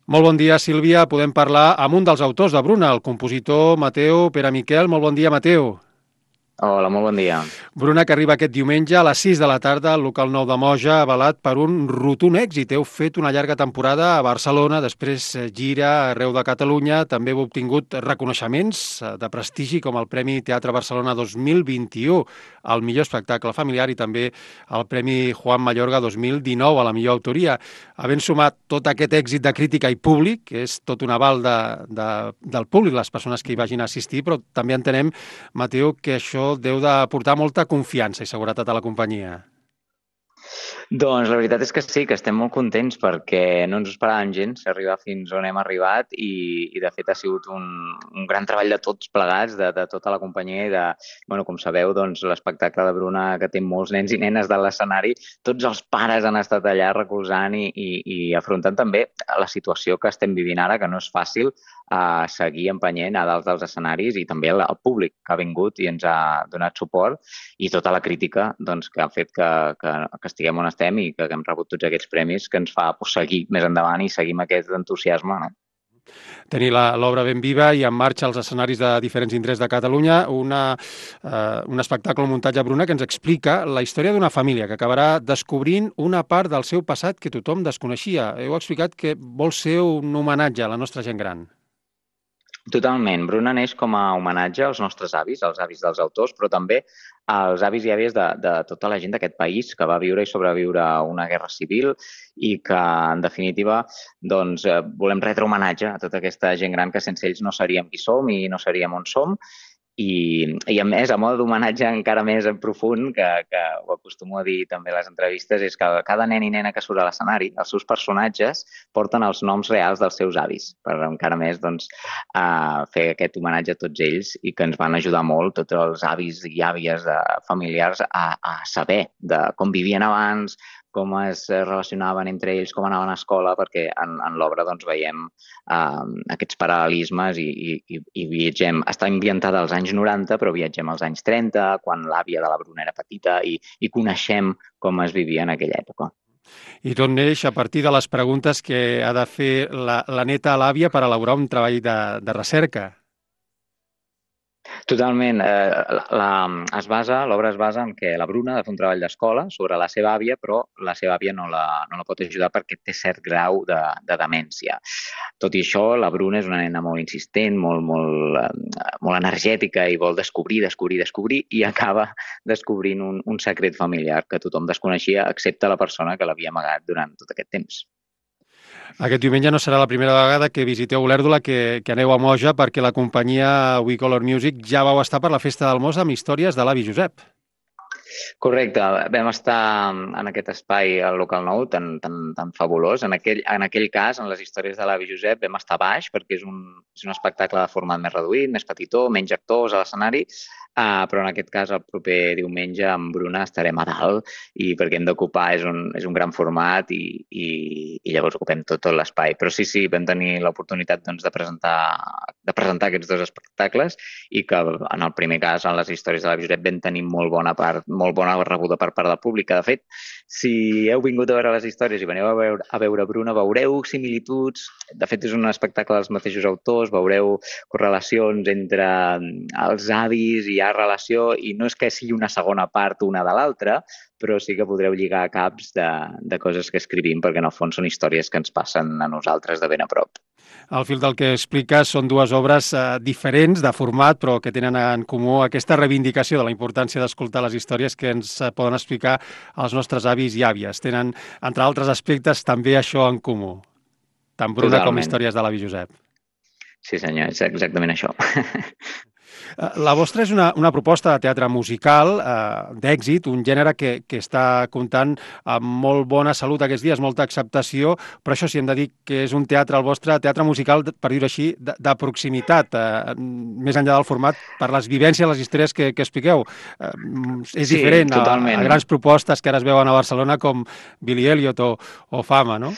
Molt bon dia, Sílvia. Podem parlar amb un dels autors de Bruna, el compositor Mateu Peramiquel. Molt bon dia, Mateu. Hola, molt bon dia. Bruna, que arriba aquest diumenge a les 6 de la tarda al local nou de Moja, avalat per un rotund èxit. Heu fet una llarga temporada a Barcelona, després gira arreu de Catalunya. També heu obtingut reconeixements de prestigi com el Premi Teatre Barcelona 2021 al millor espectacle familiar i també el Premi Juan Mayorga 2019 a la millor autoria. Havent sumat tot aquest èxit de crítica i públic, que és tot un aval del públic, les persones que hi vagin a assistir, però també entenem, Mateu, que això deu de portar molta confiança i seguretat a la companyia. Doncs la veritat és que sí, que estem molt contents perquè no ens ho esperàvem gens arribar fins on hem arribat i de fet ha sigut un gran treball de tots plegats, de tota la companyia i com sabeu, doncs l'espectacle de Bruna que té molts nens i nenes de l'escenari, tots els pares han estat allà recolzant i afrontant també la situació que estem vivint ara, que no és fàcil, a seguir empenyent a dalt dels escenaris i també el públic que ha vingut i ens ha donat suport i tota la crítica doncs, que ha fet que estiguem on estem i que hem rebut tots aquests premis que ens fa seguir més endavant i seguir amb aquest entusiasme. No? Tenir l'obra ben viva i en marxa als escenaris de diferents indrets de Catalunya, un espectacle, un muntatge, Bruna, que ens explica la història d'una família que acabarà descobrint una part del seu passat que tothom desconeixia. Heu explicat que vol ser un homenatge a la nostra gent gran. Totalment. Bruna neix com a homenatge als nostres avis, als avis dels autors, però també als avis i àvies de tota la gent d'aquest país que va viure i sobreviure a una guerra civil i que, en definitiva, doncs, volem retre homenatge a tota aquesta gent gran que sense ells no seríem qui som i no seríem on som. I a més, a mode d'homenatge encara més en profund, que ho acostumo a dir també a les entrevistes, és que cada nen i nena que surt a l'escenari, els seus personatges porten els noms reals dels seus avis, per encara més doncs, fer aquest homenatge a tots ells i que ens van ajudar molt, tots els avis i àvies familiars, a saber de com vivien abans, com es relacionaven entre ells, com anaven a escola, perquè en l'obra doncs, veiem aquests paral·lelismes i viatgem. Està ambientada als anys 90, però viatgem als anys 30, quan l'àvia de la Bruna era petita i coneixem com es vivia en aquella època. I tot neix a partir de les preguntes que ha de fer la neta a l'àvia per elaborar un treball de recerca. Totalment. L'obra es basa en que la Bruna ha de fer un treball d'escola sobre la seva àvia, però la seva àvia no la pot ajudar perquè té cert grau de demència. Tot i això, la Bruna és una nena molt insistent, molt energètica i vol descobrir i acaba descobrint un secret familiar que tothom desconeixia, excepte la persona que l'havia amagat durant tot aquest temps. Aquest diumenge no serà la primera vegada que visiteu Olèrdola, que aneu a Moja, perquè la companyia We Color Music ja vau estar per la Festa del Mos amb històries de l'avi Josep. Correcte, vam estar en aquest espai al local nou tan fabulós. En aquell cas, en les històries de l'avi Josep, vam estar baix perquè és un espectacle de format més reduït, més petitó, menys actors a l'escenari, però en aquest cas el proper diumenge amb Bruna estarem a dalt i perquè hem d'ocupar és un gran format i llavors ocupem tot l'espai. Però sí, vam tenir l'oportunitat doncs, de presentar aquests dos espectacles i que en el primer cas, en les històries de l'avi Josep, vam tenir molt bona rebuda per part del públic. De fet, si heu vingut a veure les històries i veniu a veure Bruna, veureu similituds. De fet, és un espectacle dels mateixos autors, veureu correlacions entre els avis, hi ha relació, i no és que sigui una segona part una de l'altra, però sí que podreu lligar caps de coses que escrivim, perquè en el fons són històries que ens passen a nosaltres de ben a prop. Al fil del que expliques són dues obres diferents de format, però que tenen en comú aquesta reivindicació de la importància d'escoltar les històries que ens poden explicar els nostres avis i àvies. Tenen, entre altres aspectes, també això en comú, tant Bruna com Totalment. històries de l'avi Josep. Sí, senyor, és exactament això. La vostra és una proposta de teatre musical d'èxit, un gènere que està comptant amb molt bona salut aquests dies, molta acceptació, però això sí, hem de dir que és un teatre, el vostre teatre musical, per dir-ho així, de proximitat, més enllà del format, per les vivències, les històries que expliqueu. És Sí, diferent a totalment. grans propostes que ara es veuen a Barcelona com Billy Elliot o Fama, no?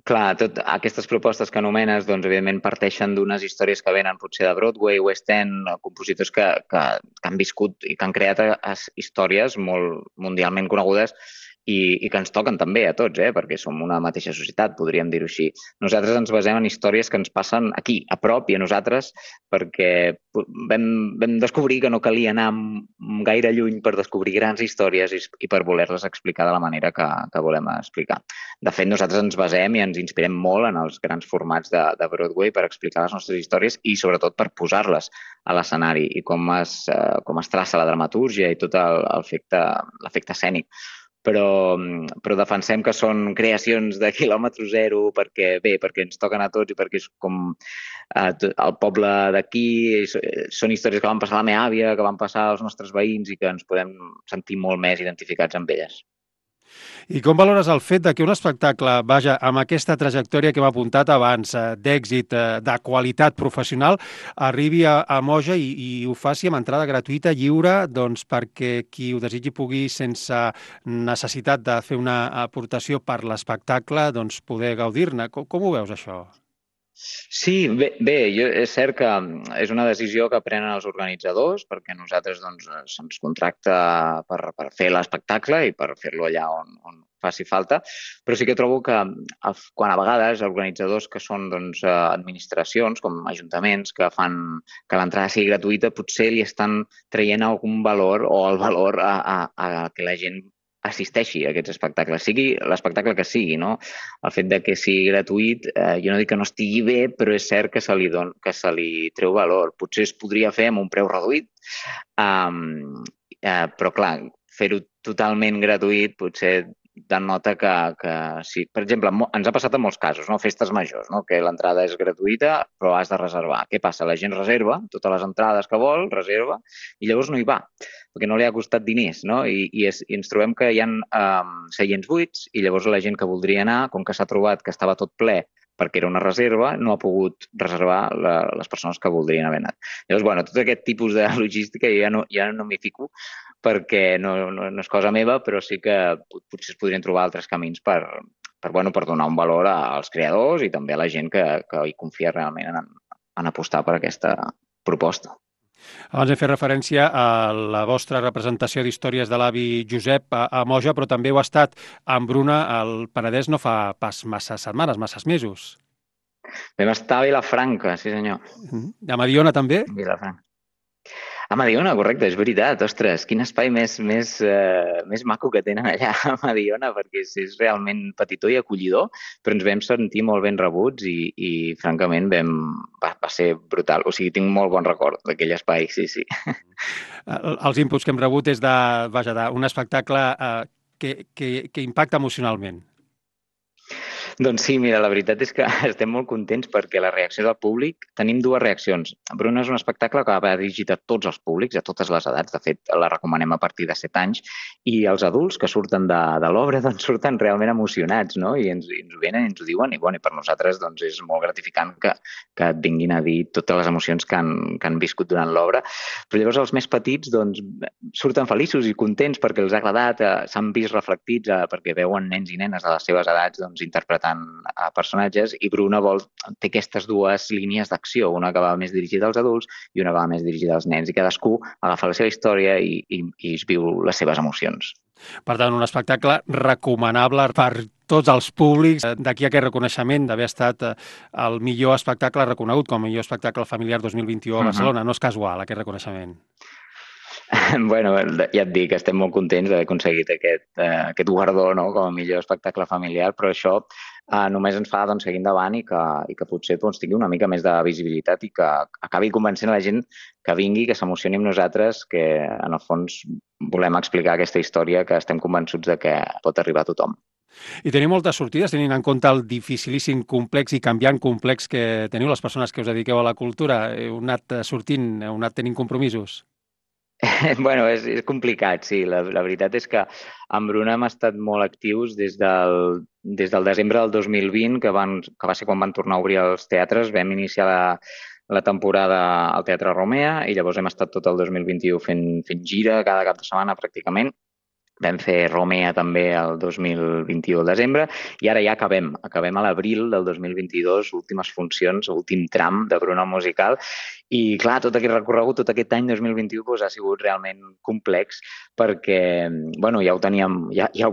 Clar, aquestes propostes que anomenes, doncs, evidentment, parteixen d'unes històries que venen potser de Broadway, West End, compositors que han viscut i que han creat històries molt mundialment conegudes i que ens toquen també a tots, perquè som una mateixa societat, podríem dir-ho així. Nosaltres ens basem en històries que ens passen aquí, a prop i a nosaltres, perquè vam descobrir que no calia anar gaire lluny per descobrir grans històries i per voler-les explicar de la manera que volem explicar. De fet, nosaltres ens basem i ens inspirem molt en els grans formats de Broadway per explicar les nostres històries i sobretot per posar-les a l'escenari i com es traça la dramatúrgia i tot l'efecte escènic. Però defensem que són creacions de quilòmetre zero perquè ens toquen a tots i perquè és com el poble d'aquí, són històries que van passar a la meva àvia, que van passar als nostres veïns i que ens podem sentir molt més identificats amb elles. I com valores el fet de que un espectacle, vaja, amb aquesta trajectòria que hem apuntat abans, d'èxit, de qualitat professional, arribi a Moja i ho faci amb entrada gratuïta, lliure, doncs perquè qui ho desitgi pugui, sense necessitat de fer una aportació per l'espectacle, doncs poder gaudir-ne. Com ho veus, això? Sí, és cert que és una decisió que prenen els organitzadors perquè nosaltres se'ns contracta per fer l'espectacle i per fer-lo allà on faci falta, però sí que trobo que quan a vegades organitzadors que són administracions com ajuntaments que fan que l'entrada sigui gratuïta potser li estan traient algun valor o el valor a que la gent assisteixi a aquests espectacles, sigui l'espectacle que sigui, no? El fet de que sigui gratuït, jo no dic que no estigui bé, però és cert que se li treu valor. Potser es podria fer amb un preu reduït, però clar, fer-ho totalment gratuït potser denota que sí. Per exemple, ens ha passat en molts casos, no? Festes majors, no? Que l'entrada és gratuïta, però has de reservar. Què passa? La gent reserva totes les entrades que vol, reserva, i llavors no hi va, perquè no li ha costat diners, no? I ens trobem que hi ha seients buits i llavors la gent que voldria anar, com que s'ha trobat que estava tot ple perquè era una reserva, no ha pogut reservar les persones que voldrien haver anat. Llavors, tot aquest tipus de logística ja no m'hi fico perquè no és cosa meva, però sí que potser es podrien trobar altres camins per donar un valor als creadors i també a la gent que hi confia realment en apostar per aquesta proposta. Abans hem fet referència a la vostra representació d'històries de l'avi Josep a Moja, però també ho ha estat amb Bruna al Penedès no fa pas massa setmanes, masses mesos. Vam estar a Vilafranca, sí senyor. A Mediona també? Vilafranca. A Mediona, correcte, és veritat. Ostres, quin espai més maco que tenen allà a Mediona, perquè és realment petitó i acollidor, però ens vam sentir molt ben rebuts i francament, va ser brutal. O sigui, tinc molt bon record d'aquell espai, sí. Els inputs que hem rebut és d'un espectacle que impacta emocionalment. Doncs sí, mira, la veritat és que estem molt contents perquè la reacció del públic, tenim dues reaccions. Bruna és un espectacle que va dirigit a tots els públics, a totes les edats, de fet la recomanem a partir de 7 anys, i els adults que surten de l'obra surten realment emocionats, no? I ens ho venen i ens ho diuen, i per nosaltres és molt gratificant que et vinguin a dir totes les emocions que han viscut durant l'obra. Però llavors els més petits surten feliços i contents perquè els ha agradat, s'han vist reflectits perquè veuen nens i nenes de les seves edats interpretant a personatges, i Bruna té aquestes dues línies d'acció, una que va més dirigida als adults i una que va més dirigida als nens, i cadascú agafa la seva història i es viu les seves emocions. Per tant, un espectacle recomanable per tots els públics. D'aquí aquest reconeixement d'haver estat el millor espectacle reconegut com a millor espectacle familiar 2021 a Barcelona. No és casual, aquest reconeixement. Ja et dic, estem molt contents d'haver aconseguit aquest guardó, no?, com a millor espectacle familiar, però això només ens fa seguir endavant i que potser tingui una mica més de visibilitat i que acabi convencent a la gent que vingui, que s'emocioni amb nosaltres, que en el fons volem explicar aquesta història que estem convençuts de que pot arribar a tothom. I teniu moltes sortides, tenint en compte el dificilíssim complex i canviant complex que teniu les persones que us dediqueu a la cultura. Heu anat sortint, heu anat tenint compromisos? És complicat, sí. La veritat és que amb Bruna hem estat molt actius des del desembre del 2020, que va ser quan van tornar a obrir els teatres. Vam iniciar la temporada al Teatre Romea i llavors hem estat tot el 2021 fent gira cada cap de setmana pràcticament. Vam fer Romea també el 2021 al desembre i ara ja acabem a l'abril del 2022, últimes funcions, últim tram de Bruna Musical. I clar, tot aquest recorregut, tot aquest any 2021 doncs, ha sigut realment complex perquè bueno, ja ho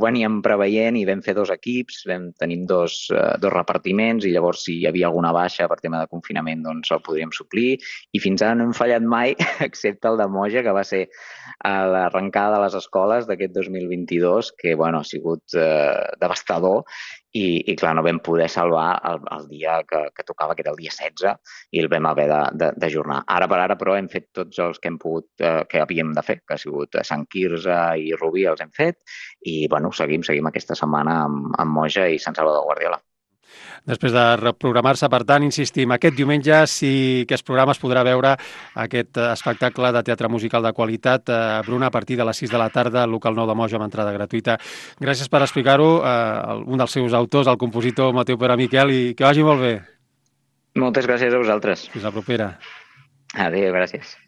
veníem preveient i vam fer 2 equips, tenim dos repartiments i llavors si hi havia alguna baixa per tema de confinament doncs el podríem suplir i fins ara no hem fallat mai excepte el de Moja, que va ser a l'arrencada de les escoles d'aquest 2022, que bueno, ha sigut devastador i clar, no vam poder salvar el dia que tocava, que era el dia 16, i el vam haver d'ajornar. Ara per ara, però, hem fet tots els que hem pogut, que havíem de fer, que ha sigut Sant Quirze i Rubí, els hem fet, i bueno, seguim aquesta setmana amb Moja i Sant Salvador Guardiola. Després de reprogramar-se, per tant, insistim, aquest diumenge sí que es programa, es podrà veure aquest espectacle de teatre musical de qualitat, Bruna, a partir de les 6 de la tarda, al local 9 de Moja, amb entrada gratuïta. Gràcies per explicar-ho, un dels seus autors, el compositor Mateu Pere Miquel, i que vagi molt bé. Moltes gràcies a vosaltres. Fins la propera. Adéu, gràcies.